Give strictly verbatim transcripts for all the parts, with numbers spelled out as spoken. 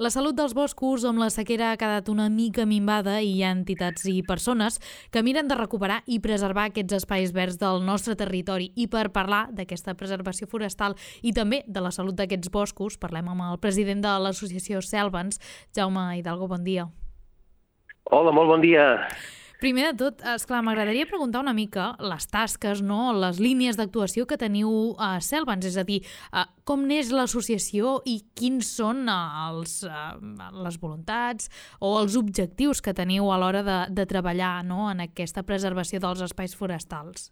La salut dels boscos amb la sequera ha quedat una mica minvada i hi ha entitats i persones que miren de recuperar i preservar aquests espais verds del nostre territori. I per parlar d'aquesta preservació forestal i també de la salut d'aquests boscos, parlem amb el president de l'associació Selvens, Jaume Hidalgo, bon dia. Hola, molt bon dia. Primer de tot, esclar, m'agradaria preguntar una mica les tasques, no? Les línies d'actuació que teniu a Selvens, és a dir, com neix l'associació i quins són els, les voluntats o els objectius que teniu a l'hora de, de treballar, no? En aquesta preservació dels espais forestals.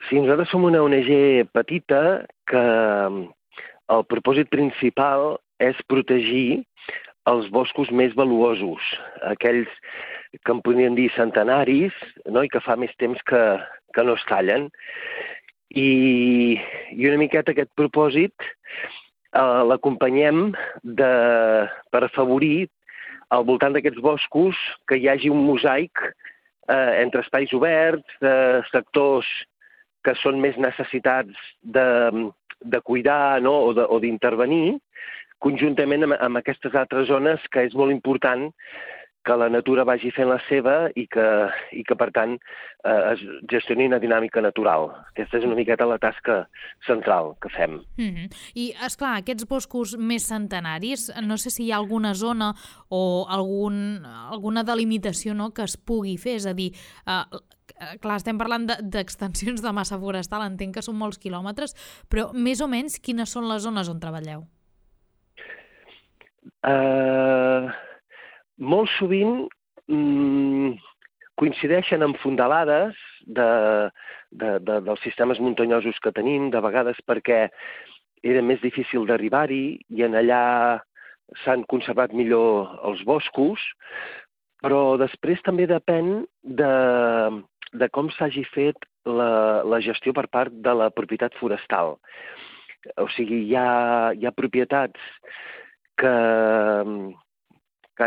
Sí, nosaltres som una O N G petita que el propòsit principal és protegir els boscos més valuosos, aquells que en podríem dir centenaris, no? I que fa més temps que, que no es tallen. I, i una miqueta aquest propòsit eh, l'acompanyem de, per afavorir al voltant d'aquests boscos que hi hagi un mosaic eh, entre espais oberts, de sectors que són més necessitats de, de cuidar, no? o d'intervenir, conjuntament amb, amb aquestes altres zones que és molt important que la natura vagi fent la seva i que, i que per tant, eh, es gestioni una dinàmica natural. Aquesta és una miqueta la tasca central que fem. Mm-hmm. I, esclar, aquests boscos més centenaris, no sé si hi ha alguna zona o algun, alguna delimitació, no?, que es pugui fer, és a dir, eh, clar, estem parlant d'extensions de massa forestal, entenc que són molts quilòmetres, però més o menys quines són les zones on treballeu? Uh, molt sovint mm, coincideixen amb fondalades de, de, de, dels sistemes muntanyosos que tenim, de vegades perquè era més difícil d'arribar-hi i en allà s'han conservat millor els boscos, però després també depèn de, de com s'hagi fet la, la gestió per part de la propietat forestal. O sigui, hi ha, hi ha propietats que, que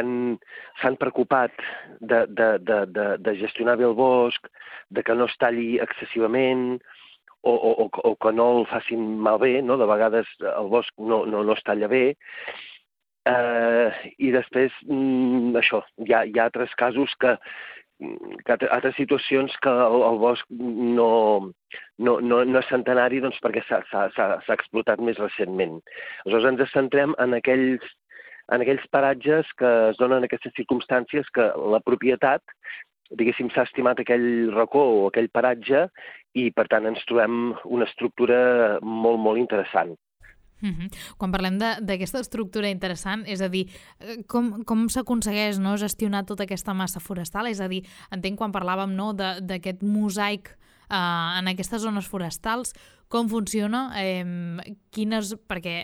s'han preocupat de, de, de, de, de gestionar bé el bosc, de que no es talli excessivament o, o, o que no el facin malbé, no? De vegades el bosc no, no, no es talla bé. Eh, I després, mm, això, hi ha, hi ha altres casos que, que altres situacions que el, el bosc no, no, no, no és centenari doncs, perquè s'ha explotat més recentment. Aleshores ens centrem en aquells, en aquells paratges que es donen aquestes circumstàncies que la propietat, diguéssim, s'ha estimat aquell racó o aquell paratge i per tant ens trobem una estructura molt, molt interessant. Uh-huh. Quan parlem d'aquesta estructura interessant, és a dir, com, com s'aconsegueix, no, gestionar tota aquesta massa forestal? És a dir, entenc quan parlàvem, no, d'aquest mosaic eh, en aquestes zones forestals, com funciona, eh, quines, perquè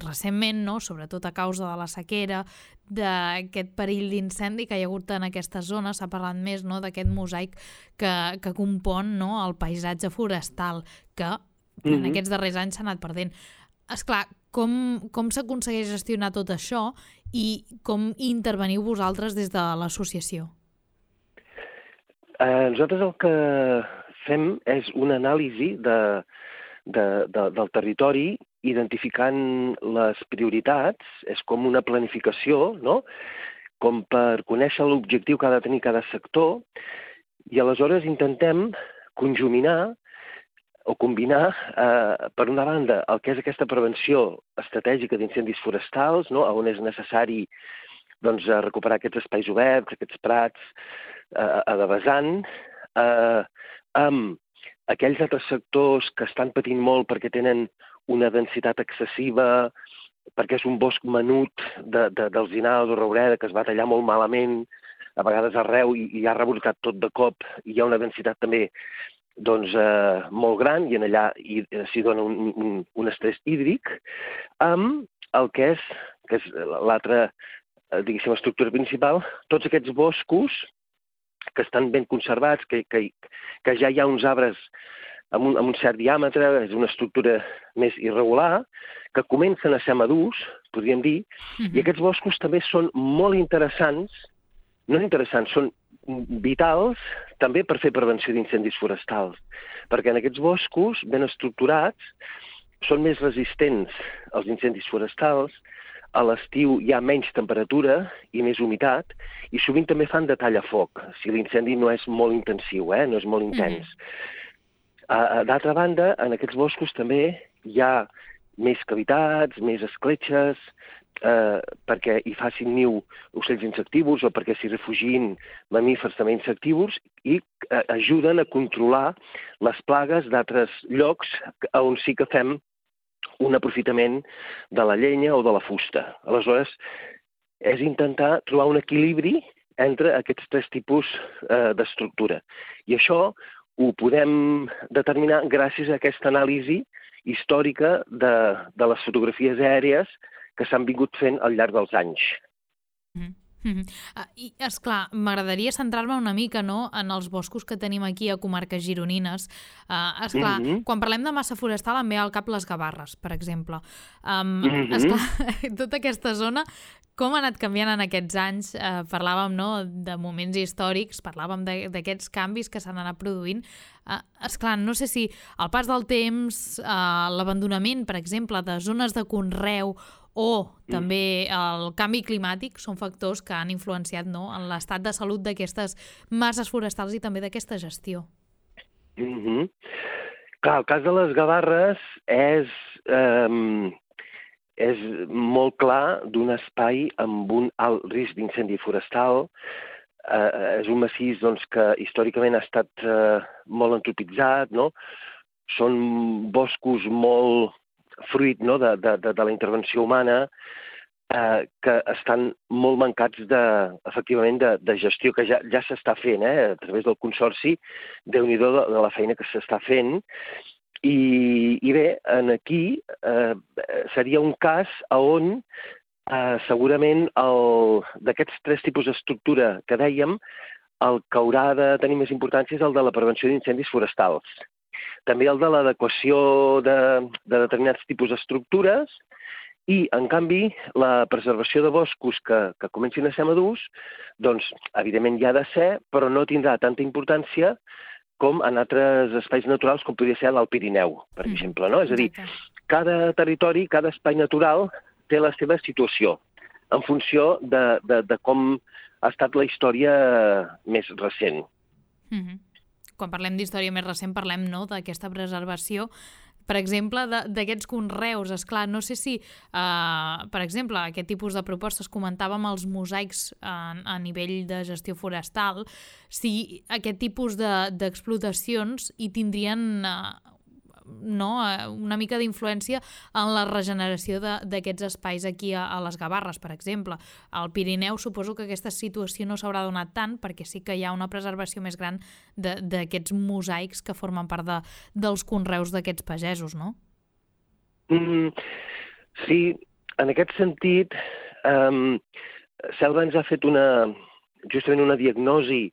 recentment, no, sobretot a causa de la sequera, d'aquest perill d'incendi que hi ha hagut en aquestes zones, s'ha parlat més, no, d'aquest mosaic que, que compon, no, el paisatge forestal, que mm-hmm. en aquests darrers anys s'ha anat perdent. Esclar, com, com s'aconsegueix gestionar tot això i com interveniu vosaltres des de l'associació? Eh, nosaltres el que fem és una anàlisi de, de, de, del territori identificant les prioritats, és com una planificació, no? Com per conèixer l'objectiu que ha de tenir cada sector i aleshores intentem conjuminar o combinar, eh, per una banda, el que és aquesta prevenció estratègica d'incendis forestals, no? On és necessari doncs, recuperar aquests espais oberts, aquests prats, eh, a de vessant, eh, amb aquells altres sectors que estan patint molt perquè tenen una densitat excessiva, perquè és un bosc menut de, de, d'alzinar o de roureda que es va tallar molt malament, a vegades arreu i, i ha rebrotat tot de cop, i hi ha una densitat també doncs, eh, molt gran, i en allà s'hi dona un, un, un estrès hídric, amb el que és, que és l'altra, eh, diguéssim, estructura principal, tots aquests boscos que estan ben conservats, que, que, que ja hi ha uns arbres amb un, amb un cert diàmetre, és una estructura més irregular, que comencen a ser madurs, podríem dir, mm-hmm. i aquests boscos també són molt interessants, no interessants, són vitals també per fer prevenció d'incendis forestals, perquè en aquests boscos ben estructurats són més resistents als incendis forestals, a l'estiu hi ha menys temperatura i més humitat, i sovint també fan de tallafoc, si l'incendi no és molt intensiu, eh? no és molt intens. Mm-hmm. D'altra banda, en aquests boscos també hi ha més cavitats, més escletxes, eh, perquè hi facin niu ocells insectívors o perquè s'hi refugin mamífers també insectívors i eh, ajuden a controlar les plagues d'altres llocs on sí que fem un aprofitament de la llenya o de la fusta. Aleshores, és intentar trobar un equilibri entre aquests tres tipus eh, d'estructura. I això ho podem determinar gràcies a aquesta anàlisi històrica de, de les fotografies aèries que s'han vingut fent al llarg dels anys. Mm-hmm. Mm-hmm. Uh, I, esclar, m'agradaria centrar-me una mica, no?, en els boscos que tenim aquí a comarques gironines. Uh, esclar, mm-hmm. quan parlem de massa forestal em ve al cap les Gavarres, per exemple. Um, mm-hmm. Esclar, tota aquesta zona, com ha anat canviant en aquests anys? Uh, parlàvem, no?, de moments històrics, parlàvem d'aquests canvis que s'han anat produint. Uh, esclar, no sé si el pas del temps, uh, l'abandonament, per exemple, de zones de conreu o també el canvi climàtic són factors que han influenciat, no?, en l'estat de salut d'aquestes masses forestals i també d'aquesta gestió. Mm-hmm. Clar, el cas de les Gavarres és, eh, és molt clar d'un espai amb un alt risc d'incendi forestal. Eh, és un massís doncs, que històricament ha estat eh, molt antropitzat, no? Són boscos molt fruit, no?, de, de, de la intervenció humana, eh, que estan molt mancats de, efectivament de, de gestió, que ja, ja s'està fent, eh, a través del Consorci, Déu-n'hi-do de, de la feina que s'està fent. I, i bé, en aquí eh, seria un cas on eh, segurament d'aquests tres tipus d'estructura que dèiem, el que haurà de tenir més importància és el de la prevenció d'incendis forestals. També el de l'adequació de, de determinats tipus d'estructures i, en canvi, la preservació de boscos que, que comencin a ser madurs, doncs, evidentment hi ha de ser, però no tindrà tanta importància com en altres espais naturals, com podria ser l'Alt Pirineu, per mm. exemple, no? És a dir, cada territori, cada espai natural té la seva situació, en funció de, de, de com ha estat la història més recent. Mm-hmm. Quan parlem d'història més recent, parlem, no?, d'aquesta preservació, per exemple, d'aquests conreus. Esclar, no sé si, uh, per exemple, aquest tipus de propostes, comentàvem els mosaics a, a nivell de gestió forestal, si aquest tipus d'explotacions hi tindrien uh, no, una mica d'influència en la regeneració d'aquests espais aquí a, a les Gavarres, per exemple. Al Pirineu suposo que aquesta situació no s'haurà donat tant perquè sí que hi ha una preservació més gran d'aquests mosaics que formen part de, dels conreus d'aquests pagesos, no? Mm, sí, en aquest sentit, um, Selva ens ha fet una, justament una diagnosi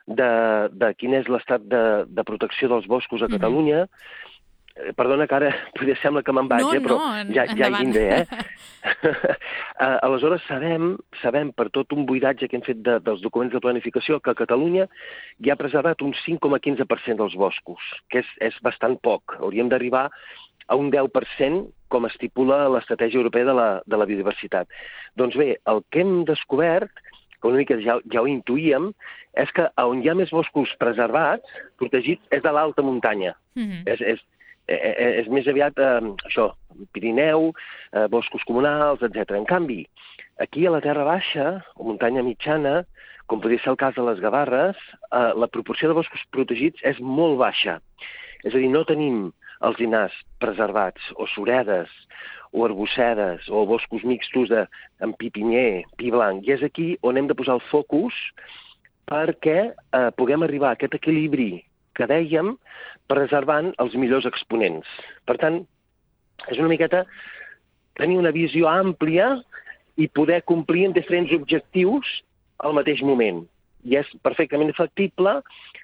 de, de quin és l'estat de, de protecció dels boscos a Catalunya. Mm-hmm. Perdona que ara potser sembla que me'n vaig, no, eh, però no, ja, ja hi vindré, eh? Aleshores sabem, sabem per tot un buidatge que hem fet de, dels documents de planificació que a Catalunya hi ha preservat un cinc coma quinze per cent dels boscos, que és, és bastant poc. Hauríem d'arribar a un deu per cent com estipula l'estratègia europea de la, de la biodiversitat. Doncs bé, el que hem descobert, que una mica ja, ja ho intuïem, és que on hi ha més boscos preservats, protegits, és de l'alta muntanya. Mm-hmm. És, és, és més aviat eh, això, Pirineu, eh, boscos comunals, etcètera. En canvi, aquí a la Terra Baixa, o muntanya mitjana, com podria ser el cas de les Gavarres, eh, la proporció de boscos protegits és molt baixa. És a dir, no tenim alzinars preservats, o suredes, o arbussedes, o boscos mixtos de, amb pi pinyer, pi blanc. I és aquí on hem de posar el focus perquè eh, puguem arribar a aquest equilibri que dèiem, preservant els millors exponents. Per tant, és una miqueta tenir una visió àmplia i poder complir amb diferents objectius al mateix moment. I és perfectament factible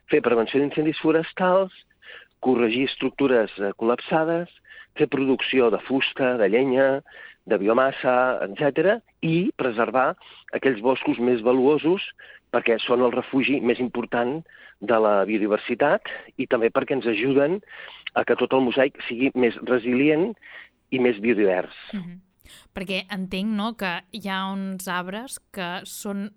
fer prevenció d'incendis forestals, corregir estructures col·lapsades, fer producció de fusta, de llenya, de biomassa, etcètera, i preservar aquells boscos més valuosos perquè són el refugi més important de la biodiversitat i també perquè ens ajuden a que tot el mosaic sigui més resilient i més biodivers. Mm-hmm. Perquè entenc, no?, que hi ha uns arbres que són,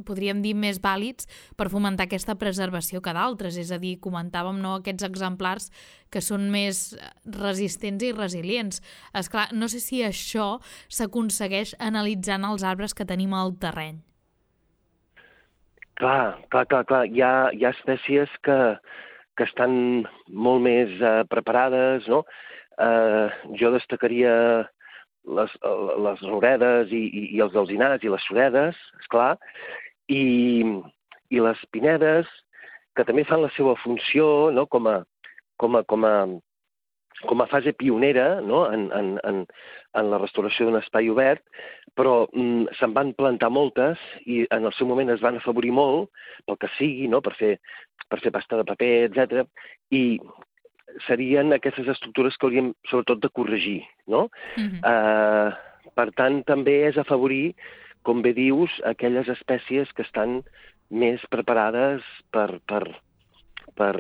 podríem dir, més vàlids per fomentar aquesta preservació que d'altres. És a dir, comentàvem, no?, aquests exemplars que són més resistents i resilients. Esclar, no sé si això s'aconsegueix analitzant els arbres que tenim al terreny. Clar, clar, clar, clar. Hi ha, hi ha espècies que, que estan molt més eh, preparades, no? Eh, jo destacaria les, les rouredes i, i, i els alzinars i les suredes, esclar, i, i les pinedes, que també fan la seva funció, no?, com a, com a, com a, com a fase pionera, no?, en, en, en, en la restauració d'un espai obert, però mm, se'n van plantar moltes i en el seu moment es van afavorir molt, pel que sigui, no?, per fer, per fer pasta de paper, etcètera, i serien aquestes estructures que hauríem, sobretot, de corregir, no? Mm-hmm. Uh, per tant, també és afavorir, com bé dius, aquelles espècies que estan més preparades per, per, per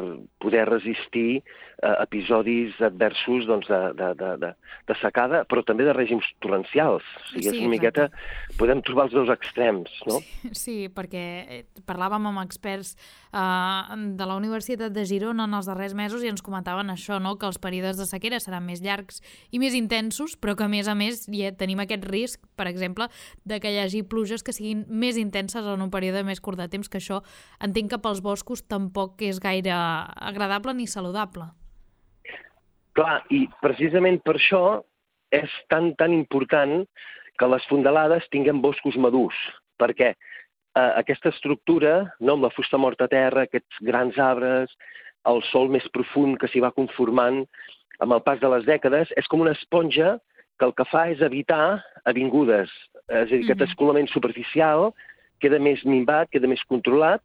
poder resistir uh, episodis adversos, doncs, de, de, de, de, de secada, però també de règims torrencials. O sigui, Sí, és una miqueta... Podem trobar els dos extrems, no? Sí, sí, perquè parlàvem amb experts uh, de la Universitat de Girona en els darrers mesos i ens comentaven això, no?, que els períodes de sequera seran més llargs i més intensos, però que, a més a més, ja tenim aquest risc, per exemple, de que hi hagi pluges que siguin més intenses en un període més curt de temps, que això entenc que pels boscos tampoc és gaire agradable ni saludable. Clar, i precisament per això és tan, tan important que les fondalades tinguin boscos madurs, perquè eh, aquesta estructura, no, amb la fusta morta a terra, aquests grans arbres, el sòl més profund que s'hi va conformant amb el pas de les dècades, és com una esponja que el que fa és evitar avingudes. És a dir, aquest escolament superficial queda més minvat, queda més controlat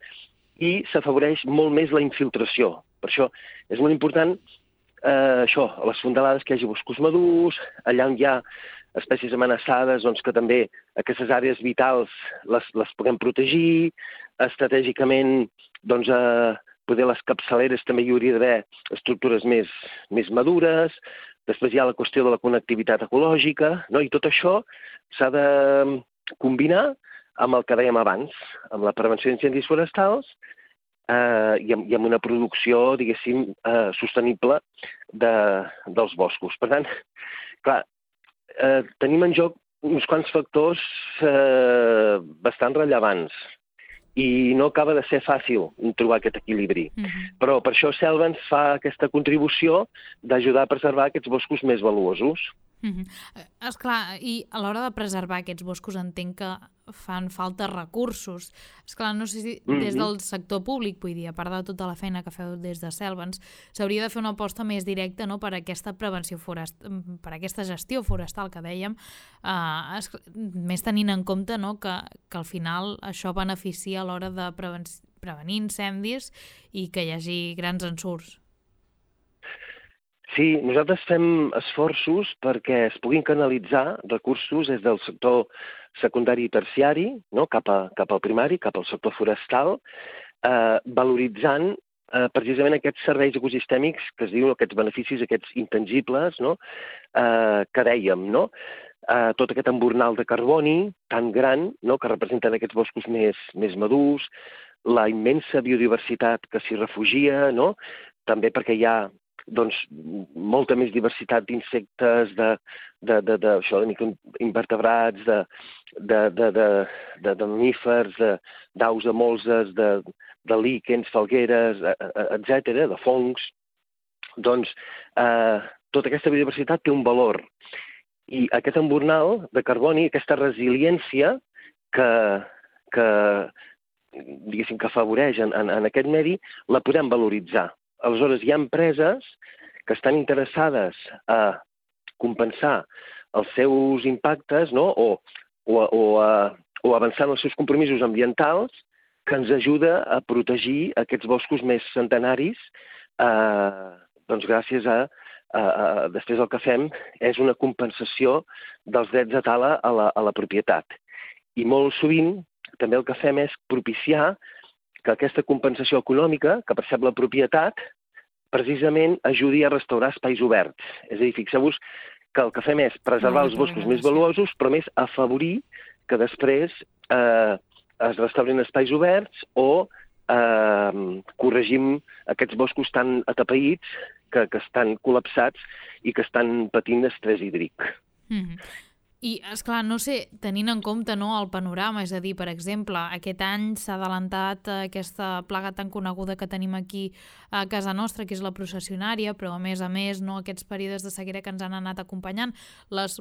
i s'afavoreix molt més la infiltració. Per això és molt important eh, això, a les fondalades que hi hagi boscos madurs, allà on hi ha espècies amenaçades, doncs que també aquestes àrees vitals les, les puguem protegir, estratègicament, doncs, eh, poder les capçaleres també hi hauria d'haver estructures més, més madures, després hi ha la qüestió de la connectivitat ecològica, no? I tot això s'ha de combinar amb el que dèiem abans, amb la prevenció d'incendis forestals eh, i, amb, i amb una producció, diguéssim, eh, sostenible de, dels boscos. Per tant, clar, eh, tenim en joc uns quants factors eh, bastant rellevants i no acaba de ser fàcil trobar aquest equilibri. Mm-hmm. Però per això Selva ens fa aquesta contribució d'ajudar a preservar aquests boscos més valuosos. Mm-hmm. Esclar, i a l'hora de preservar aquests boscos entenc que fan falta recursos. Esclar, no sé si mm-hmm. des del sector públic, vull dir, a part de tota la feina que feu des de Selvens, s'hauria de fer una aposta més directa, no?, per aquesta prevenció forestal, per aquesta gestió forestal que dèiem, eh, es, més tenint en compte, no?, que, que al final això beneficia a l'hora de preven prevenir incendis i que hi hagi grans ensurts. Sí, nosaltres fem esforços perquè es puguin canalitzar recursos des del sector secundari i terciari, no?, cap, a, cap al primari, cap al sector forestal, eh, valoritzant eh, precisament aquests serveis ecosistèmics que es diuen, aquests beneficis, aquests intangibles, no?, eh, que dèiem, no?, eh, tot aquest embornal de carboni tan gran, no?, que representen aquests boscos més, més madurs, la immensa biodiversitat que s'hi refugia, no?, també perquè hi ha doncs, molta més diversitat d'insectes, de, de, de, de, això, de microinvertebrats, de, de, de, de, de, de mamífers, d'aus de molses, de, de líquens, falgueres, etcètera, de fongs. Doncs eh, tota aquesta biodiversitat té un valor. I aquest embornal de carboni, aquesta resiliència que, que diguéssim, que afavoreix en, en, en aquest medi, la podem valoritzar. Aleshores, hi ha empreses que estan interessades a compensar els seus impactes, no?, o, o, o, a, o avançar en els seus compromisos ambientals, que ens ajuda a protegir aquests boscos més centenaris, eh, doncs gràcies a, a, a... Després el que fem és una compensació dels drets de tala a la, a la propietat. I molt sovint també el que fem és propiciar que aquesta compensació econòmica que percep la propietat precisament ajudi a restaurar espais oberts. És a dir, fixeu-vos que el que fem és preservar els boscos més valuosos, però més afavorir que després eh, es restaurin espais oberts o eh, corregim aquests boscos tan atapeïts que, que estan col·lapsats i que estan patint estrès hídric. Mm-hmm. I, esclar, no sé, tenint en compte, no, el panorama, és a dir, per exemple, aquest any s'ha adelantat aquesta plaga tan coneguda que tenim aquí a casa nostra, que és la processionària, però a més a més, no, aquests períodes de sequera que ens han anat acompanyant, les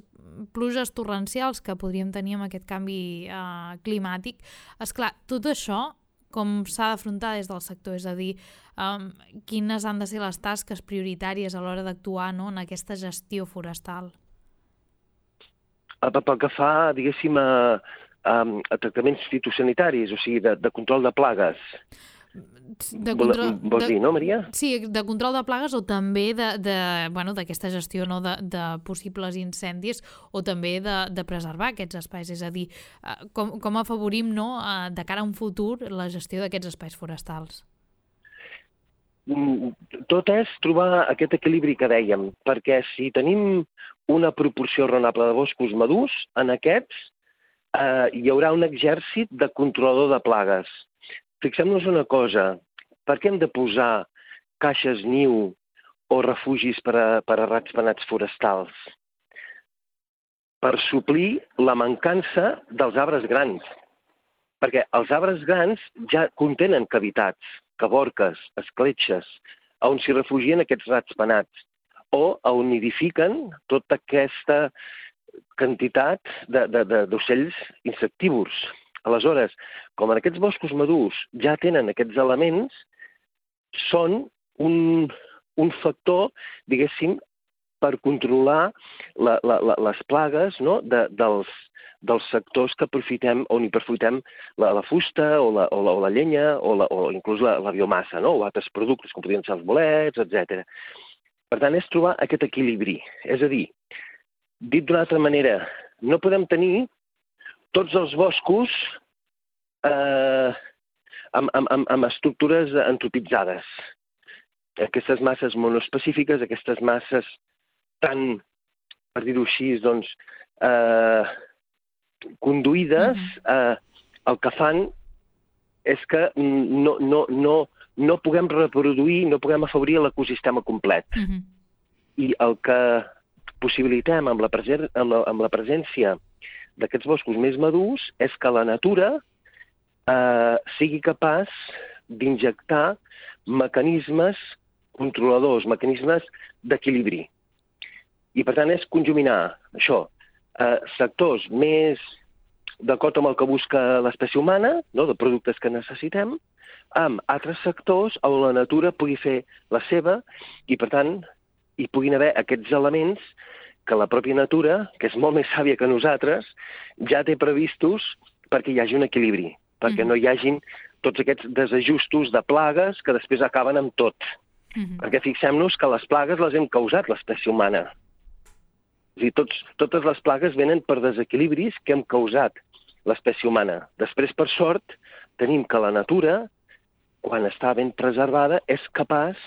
pluges torrencials que podríem tenir amb aquest canvi eh, climàtic. Esclar, tot això com s'ha d'afrontar des del sector, és a dir, um, quines han de ser les tasques prioritàries a l'hora d'actuar, no, en aquesta gestió forestal? Pel que fa, diguéssim, a, a, a tractaments fitosanitaris, o sigui, de, de control de plagues. De control, Vols dir, no, Maria? Sí, de control de plagues o també de, de, bueno, d'aquesta gestió, no, de, de possibles incendis o també de, de preservar aquests espais. És a dir, com, com afavorim, no, de cara a un futur la gestió d'aquests espais forestals? Tot és trobar aquest equilibri que dèiem, perquè si tenim una proporció raonable de boscos madurs, en aquests eh, hi haurà un exèrcit de controlador de plagues. Fixem-nos una cosa, per què hem de posar caixes niu o refugis per a, per a ratpenats forestals? Per suplir la mancança dels arbres grans, perquè els arbres grans ja contenen cavitats, cavorques, escletxes, on s'hi refugien aquests ratpenats, o on nidifiquen tota aquesta quantitat d'ocells insectívors. Aleshores, com en aquests boscos madurs ja tenen aquests elements, són un, un factor, diguéssim, per controlar la, la, la, les plagues, no? de, dels, dels sectors que aprofitem, on hi aprofitem la, la fusta o la, o la, o la llenya o, la, o inclús la, la biomassa, no? O altres productes com podrien ser els bolets, etcètera. Per tant, és trobar aquest equilibri. És a dir, dit d'una altra manera, no podem tenir tots els boscos eh, amb, amb, amb estructures antropitzades. Aquestes masses monoespecífiques, aquestes masses tan, per dir-ho així, doncs, eh, conduïdes, eh, el que fan és que no, no, no, no puguem reproduir, no puguem afavorir l'ecosistema complet. Uh-huh. I el que possibilitem amb la, presen amb la, amb la presència d'aquests boscos més madurs és que la natura eh, sigui capaç d'injectar mecanismes controladors, mecanismes d'equilibri. I, per tant, és conjuminar això, eh, sectors més d'acord amb el que busca l'espècie humana, no, de productes que necessitem, amb altres sectors on la natura pugui fer la seva i, per tant, hi puguin haver aquests elements que la pròpia natura, que és molt més sàvia que nosaltres, ja té previstos perquè hi hagi un equilibri, perquè mm-hmm. no hi hagin tots aquests desajustos de plagues que després acaben amb tot. Mm-hmm. Perquè fixem-nos que les plagues les hem causat l'espècie humana. És a dir, tots, totes les plagues venen per desequilibris que hem causat l'espècie humana. Després, per sort, tenim que la natura, quan està ben preservada, és capaç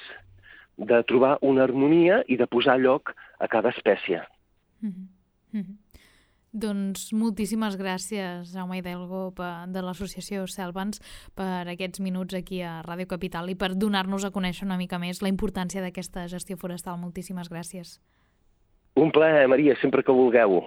de trobar una harmonia i de posar lloc a cada espècie. Mm-hmm. Mm-hmm. Doncs moltíssimes gràcies, Jaume Hidalgo, de l'associació Selvans, per aquests minuts aquí a Ràdio Capital i per donar-nos a conèixer una mica més la importància d'aquesta gestió forestal. Moltíssimes gràcies. Un plaer, Maria, sempre que vulgueu.